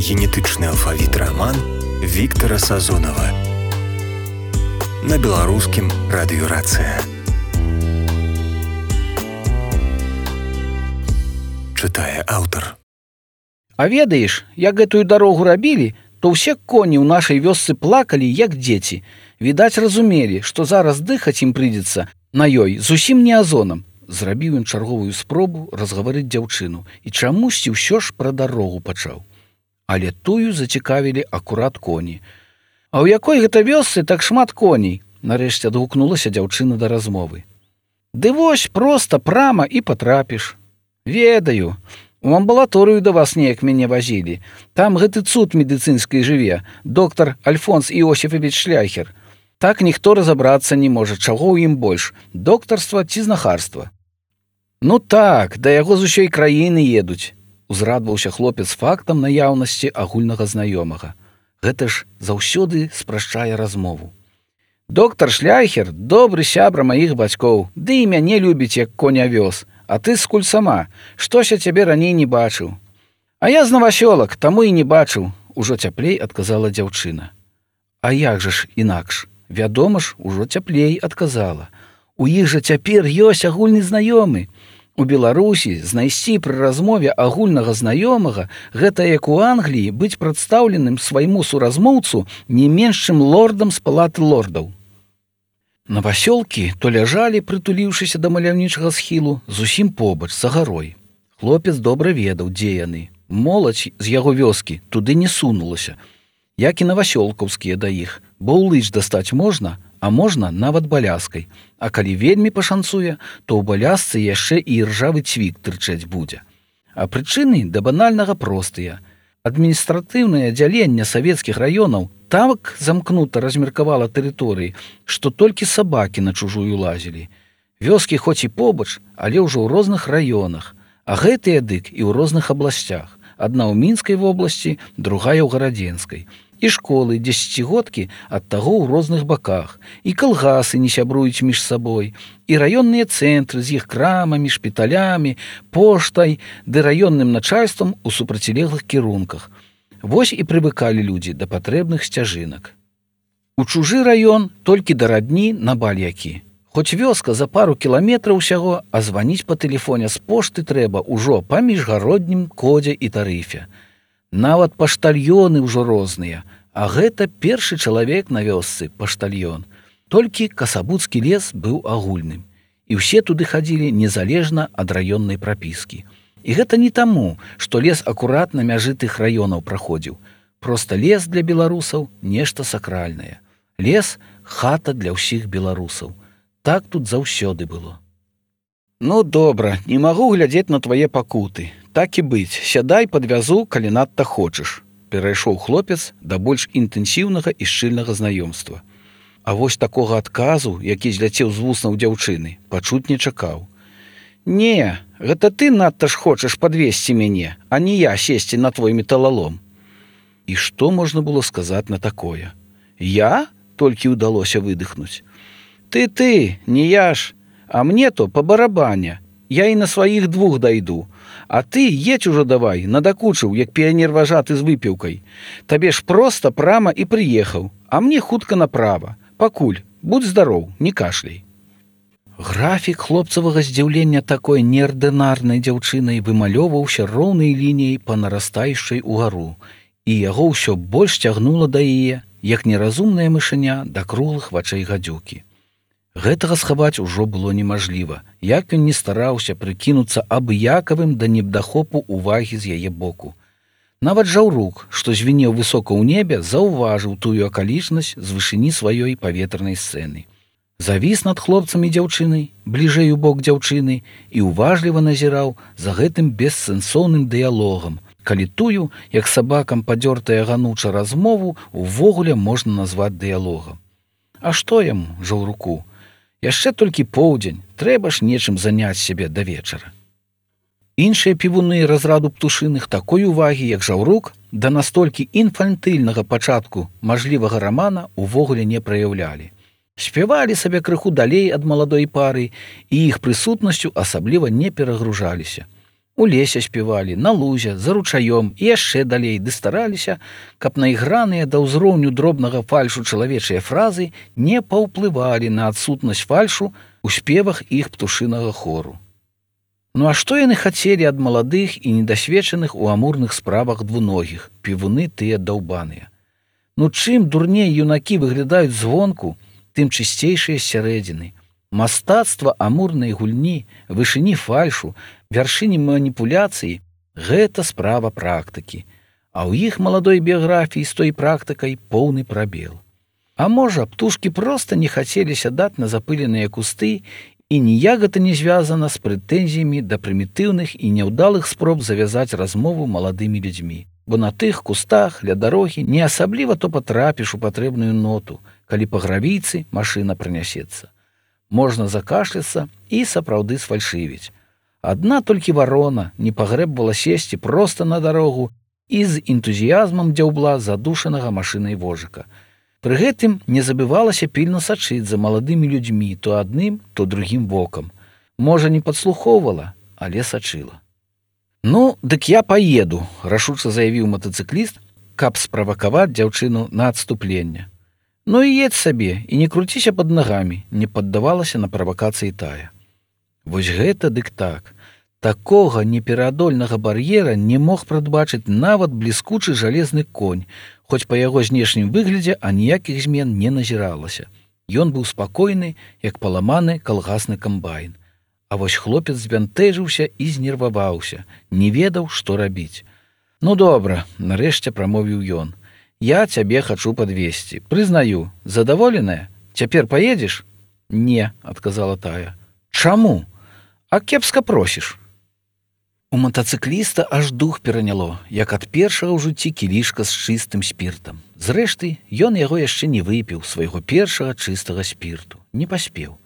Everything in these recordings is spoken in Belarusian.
Генетычны алфавіт раман Віктара Сазонава на беларускім радыёрацыя. Чытае аўтар. А ведаеш, як гэтую дарогу рабілі, то ўсе коні ў нашай вёсцы плакалі, як дзеці. Відаць, разумелі, што зараз дыхаць ім прыйдзецца на ёй зусім не азонам. Зрабіў ён чарговую спробу разгаварыць дзяўчыну і чамусьці ўсё ж пра дарогу пачаў. Але тую зацікавілі акурат коні. А ў якой гэта вёсцы так шмат коней? Нарэшце адгукнулася дзяўчына да размовы. Ды вось проста прама і патрапіш. Ведаю. У амбулаторыю да вас неяк мяне вазілі. Там гэты цуд медыцынскай жыве, доктар Альфонс Іосіфавіч Шляхер. Так ніхто разабрацца не можа, чаго ў ім больш, доктарства ці знахарства. Ну так, да яго з усёй краіны едуць. Узрадваўся хлопец фактам наяўнасці агульнага знаёмага. Гэта ж заўсёды спрашчае размову. Доктар Шляхер – добры сябра маіх бацькоў, ды і мяне любіць, як коня вёз. А ты скуль сама, штось я цябе раней не бачыў. А я з Навасёлак, таму і не бачыў, ужо цяплей адказала дзяўчына. А як жа ж інакш? Вядома ж, ужо цяплей адказала. У іх жа цяпер ёсць агульны знаёмы. У Беларусі знайсці пры размове агульнага знаёмага гэта як у Англіі быць прадстаўленым свайму суразмоўцу не менш чым лордам з палаты лордаў. Навасёлкі то ляжалі, прытуліўшыся да маляўнічага схілу, зусім побач, за гарой. Хлопец добра ведаў, дзе яны. Моладзь з яго вёскі туды не сунулася, як і навасёлкаўскія да іх, бо ў лыч дастаць можна, а можна нават баляскай. А калі вельмі пашанцуе, то ў балясцы яшчэ і іржавы цвік тырчаць будзе. А прычыны да банальнага простыя. Адміністратыўнае аддзяленне савецкіх раёнаў так замкнута размеркавала тэрыторыі, што толькі сабакі на чужую лазілі. Вёскі хоць і побач, але ўжо ў розных раёнах, а гэтыя дык і ў розных абласцях. Адна ў Мінскай вобласці, другая ў Гарадзенскай. І школы, дзесяцігодкі ад таго ў розных баках, і калгасы не сябруюць між сабой, і раённыя цэнтры з іх крамамі, шпіталямі, поштай ды раённым начальствам у супрацілеглых кірунках. Вось і прывыкалі людзі да патрэбных сцяжынак. У чужы раён толькі да радні на бальякі. Хоць вёска за пару кіламетраў усяго, а званіць па тэлефоне з пошты трэба ўжо па міжгароднім кодзе і тарыфе. Нават паштальёны ўжо розныя, а гэта першы чалавек на вёсцы, паштальён. Толькі Касабуцкі лес быў агульным, і ўсе туды хадзілі незалежна ад раённай прапіскі. І гэта не таму, што лес акурат на мяжы тых раёнаў праходзіў. Проста лес для беларусаў нешта сакральнае. Лес – хата для ўсіх беларусаў. Так тут заўсёды было. Ну, добра, не магу глядзець на твае пакуты. Так і быць, сядай падвязу, калі надта хочаш. Перайшоў хлопец да больш інтэнсіўнага і шчыльнага знаёмства. А вось такога адказу, які зляцеў з вуснаў дзяўчыны, пачуць не чакаў. Не, гэта ты надта ж хочаш падвесці мяне, а не я сесці на твой металалом. І што можна было сказаць на такое? Я? Толькі ўдалося выдыхнуць. Ты, не я ж, а мне то па барабане. Я і на сваіх двух дайду. А ты едь ужо давай, надакучыў, як піянер важаты з выпіўкай. Табе ж проста прама і прыехаў, а мне хутка направа. Пакуль, будь здароў, не кашляй. Графік хлопцавага здзіўлення такой неардынарнай дзяўчынай вымалёваўся роўнай лініяй па нарастаючай угару, і яго ўсё больш цягнула да яе, як неразумная мышыня да круглых вачэй гадзюкі. Гэтага схаваць ужо было немажліва, як ён не стараўся прыкінуцца абыякавым да недахопу увагі з яе боку. Нават жаўрук, што звінеў высока ў небе, заўважыў тую акалічнасць з вышыні сваёй паветранай сцэны. Завіс над хлопцам і дзяўчынай, бліжэй у бок дзяўчыны, і уважліва назіраў за гэтым бессэнсоўным дыялогам, калі тую, як сабакам падзёртая гануча размову, увогуле можна назваць дыялогам. А што яму, жаўруку? Яшчэ толькі поўдзень, трэба ж нечым заняць сябе да вечара. Іншыя півуны разраду птушыных такой увагі, як жаўрук, да настолькі інфантыльнага пачатку мажлівага рамана увогуле не праяўлялі. Спявалі сабе крыху далей ад маладой пары і іх прысутнасцю асабліва не перагружаліся. У лесе спявалі, на лузе, за ручаём і яшчэ далей ды стараліся, каб наіграныя да ўзроўню дробнага фальшу чалавечыя фразы не паўплывалі на адсутнасць фальшу у спевах іх птушынага хору. Ну а што яны хацелі ад маладых і недасведчаных у амурных справах двуногіх, півуны тыя даўбаныя? Ну чым дурней юнакі выглядаюць звонку, тым чысцейшыя сярэдзіны. Мастацтва амурнай гульні, вышыні фальшу, вяршыні маніпуляцыі – гэта справа практыкі, а ў іх маладой біяграфіі з той практыкай поўны прабел. А можа, птушкі проста не хацелі сядаць на запыленыя кусты і ніяк гэта не звязана з прэтэнзіямі да прымітыўных і няўдалых спроб завязаць размову маладымі людзьмі. Бо на тых кустах ля дарогі не асабліва то патрапіш у патрэбную ноту, калі па гравійцы машына прынясецца. Можна закашляцца і сапраўды сфальшывіць. Адна толькі варона не пагрэбвала сесці проста на дарогу і з энтузіязмам дзяўбла задушанага машынай вожыка. Пры гэтым не забывалася пільна сачыць за маладымі людзьмі то адным, то другім вокам. Можа, не падслухоўвала, але сачыла. «Ну, дык я паеду», – рашуча заявіў матацыкліст, каб справакаваць дзяўчыну на адступленне. «Ну і едзь сабе, і не круціся пад нагамі», – не паддавалася на правакацыі тая. Вось гэта дык так. Такога непераадольнага бар'ера не мог прадбачыць нават бліскучы жалезны конь, хоць па яго знешнім выглядзе аніякіх змен не назіралася. Ён быў спакойны, як паламаны калгасны камбайн. А вось хлопец збянтэжыўся і знерваваўся, не ведаў, што рабіць. «Ну добра», – нарэшце прамовіў ён. «Я цябе хачу падвезці. Прызнаю, задаволеная? Цяпер паедзеш?» «Не», – адказала тая. «Чаму? А кепска просіш». У матацыкліста аж дух пераняло, як ад першага ў жыцці кілішка з чыстым спіртам. Зрэшты, ён яго яшчэ не выпіў, свайго першага чыстага спірту. Не паспеў.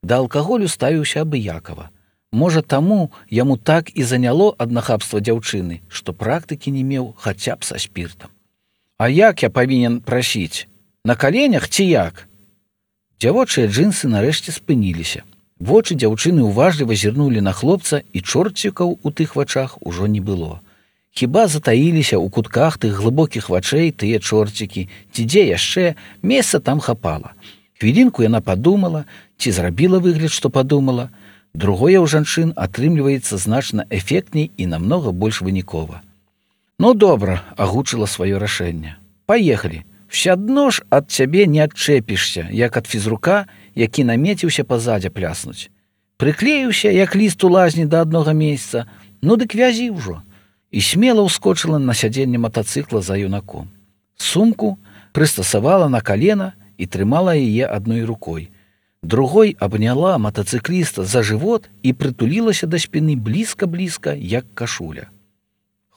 Да алкаголю ставіўся абыякава. Можа, таму яму так і заняло ад нахабства дзяўчыны, што практыкі не меў хаця б са спіртам. «А як я павінен прасіць? На каленях ці як?» Дзявочыя джынсы нарэшце спыніліся. Вочы дзяўчыны уважліва зірнулі на хлопца, і чорцікаў у тых вачах ужо не было. Хіба затаіліся ў кутках тых глыбокіх вачэй тыя чорцікі, ці дзе яшчэ, месца там хапала. Хвілінку яна падумала, ці зрабіла выгляд, што падумала. Другое ў жанчын атрымліваецца значна эфектней і намнога больш вынікова. «Ну добра», – агучыла сваё рашэнне. «Паехалі. Всядно ж ад цябе не адчэпішся, як ад фізрука, які намеціўся пазадзе пляснуць. Прыклеіўся, як ліст у лазні да аднога месяца, ну дык вязі ўжо». І смела ўскочыла на сядзенне матацыкла за юнаком. Сумку прыстасавала на калена і трымала яе адной рукой. Другой абняла матацыкліста за жывот і прытулілася да спіны блізка-блізка, як кашуля.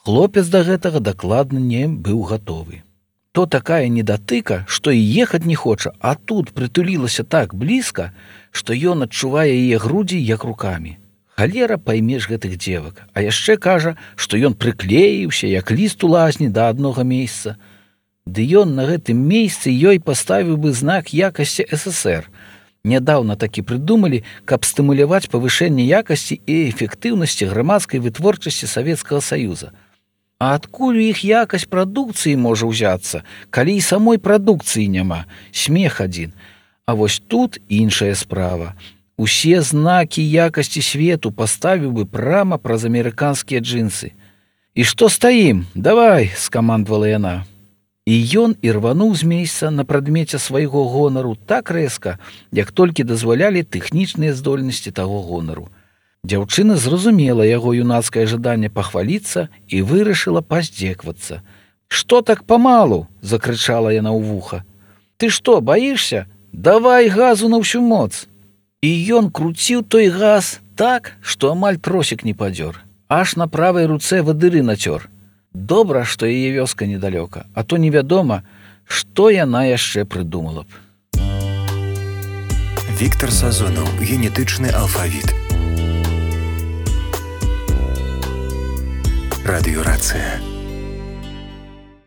Хлопец да гэтага дакладна не быў гатовы. То такая недатыка, што і ехаць не хоча, а тут прытулілася так блізка, што ён адчувае яе грудзі як рукамі. Халера паймеш гэтых дзевак, а яшчэ кажа, што ён прыклеіўся, як ліст у лазні да аднога месяца. Ды ён на гэтым месцы ёй паставіў бы знак якасці СССР. Нядаўна такі прыдумалі, каб стымуляваць павышэнне якасці і эфектыўнасці грамадскай вытворчасці Савецкага Саюза. А адкуль у іх якасць прадукцыі можа ўзяцца, калі і самой прадукцыі няма? Смех адзін. А вось тут іншая справа. Усе знакі якасці свету паставіў бы прама праз амерыканскія джинсы. «І што стаім? Давай!» – скамандвала яна. І ён ірвануў з месца на прадмеце свайго гонару так рэзка, як толькі дазвалялі тэхнічныя здольнасці таго гонару. Дзяўчына зразумела яго юнацкае жаданне пахваліцца і вырашыла паздзеквацца. «Што так памалу?» – закрычала яна ў вуха. «Ты што, баішся? Давай газу на ўсю моц!» І ён круціў той газ так, што амаль тросік не падзёр. Аж на правай руцэ вадыры нацёр. Добра, што яе вёска недалёка, а то невядома, што яна яшчэ прыдумала б. Віктар Сазонаў. Генетычны алфавіт. Радыёрацыя.